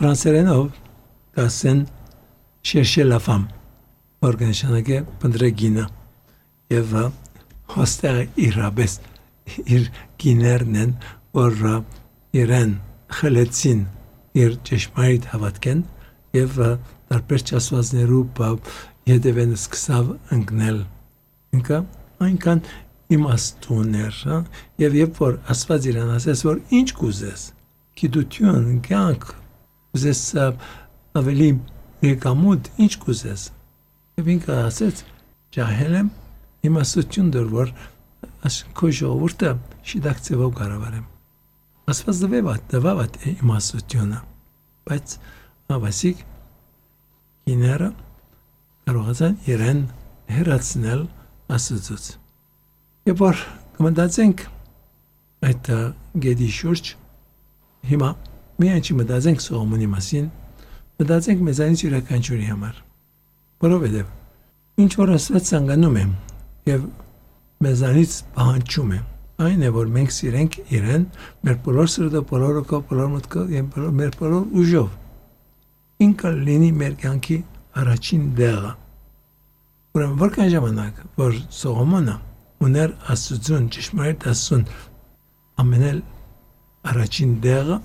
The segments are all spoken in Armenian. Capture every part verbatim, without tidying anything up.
ֆրանսերենով կասեն chercher la femme, որ կնշանակե փնտրեգինը, եւ հոստերը իրաբես իր գիներն են, որ իրեն խլեցին իր ճշմարիտ հավատքեն եւ տարբեր ճասվածներու հետևեն սկսավ ընկնել ինքը այնքան իմաստուն էր եւ երբ որ Աստված իրան ասես որ ինչ կուզես գիտություն կյանք կուզես ավելի եկամուտ ինչ կուզես եւ ինքը ասեց ջահել եմ իմաստություն դեռ որ քո ժողովուրդը շիդակցեվով կառավարեմ Աստված դվեվատ դվավատ իմաստությունը բայց ավասիկ իները կարողացան իրեն հերացնել Աստծուց Երբ որ կմտածենք այդ գեդի շուրջ հիմա միայն չի մտածենք Սողոմոնի մասին մտածենք մեզանից յուրաքանչյուրի համար որովհետև ինչ որ Աստված ցանկանում է եւ մեզանից պահանջում է այն է որ մենք սիրենք իրեն մեր բոլոր սրտով բոլոր օգով բոլոր մտքով եւ մեր բոլոր ուժով ինքը լինի մեր կյանքի առաջին դեղը ուրեմն որքան ժամանակ որ Սողոմոնը ուներ Աստծուն ճշմարիտ Աստծուն ամենել առաջին դեղը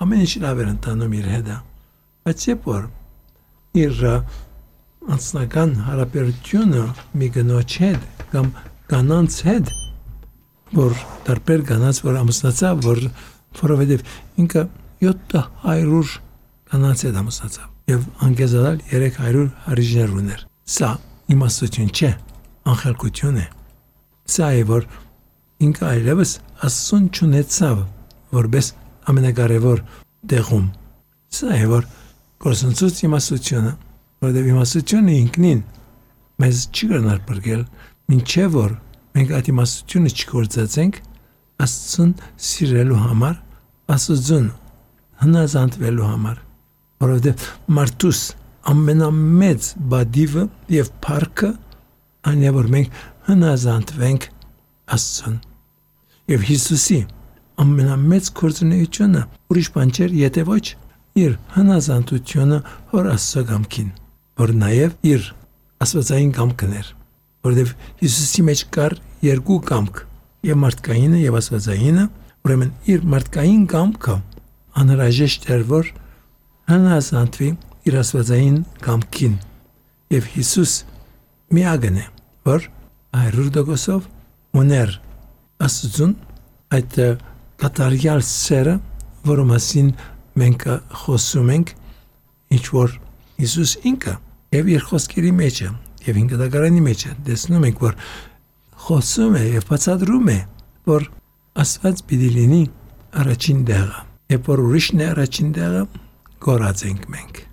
ամեն ինչ լավ էր ընթանում իր հետ բայց երբ որ իր անձնական հարաբերությունը մի կնոջ հետ կամ կանանց հետ որ տարբեր կանանց որ ամուսնացավ որ որովհետև ինքը յոթ հարյուր կանանց հետ ամուսնացավ եւ անկեզանալ երեք հարյուր հարիջներ ուներ սա իմաստություն չէ անխելքություն է Սա է որ ինքը այլևս Աստծուն չունեցավ որպես ամենակարևոր դեղում Սա է որ գործընծուց իմաստությունը որովհետև իմաստությունը ինքնին մեզ չի գնար բրգել մինչև որ մենք այդ իմաստությունը չգործածենք Աստծուն սիրելու համար Աստծուն հնազանդվելու համար որովհետև մարդուս ամենամեծ բադիվը եւ փառքը այն է որ մենք հնազանդվենք Աստծուն եւ Հիսուսի ամենամեծ գործունեությունը ուրիշ բան չէր եթե ոչ իր հնազանդությունը հոր Աստծո կամքին որ նաեւ իր աստվածային կամքն էր որովհետեւ Հիսուսի մեջ կար երկու կամք եւ մարդկայինը եւ աստվածայինը ուրեմն իր մարդկային կամքը անհրաժեշտ էր որ հնազանդվի իր աստվածային կամքին եւ Հիսուս միակն է որ հարյուր տոկոսով ուներ Աստծուն այդ կատարյալ սերը, որը մասին մենք խոսում ենք, ինչ որ Հիսուս ինքը եւ իր խոսքերի մեջ է եւ հինգադակարանի մեջ է տեսնում ենք որ խոսում է եւ բացատրում է որ Աստված պիտի լինի առաջին դեղը եւ որ ուրիշն է առաջին դեղը կորած ենք մենք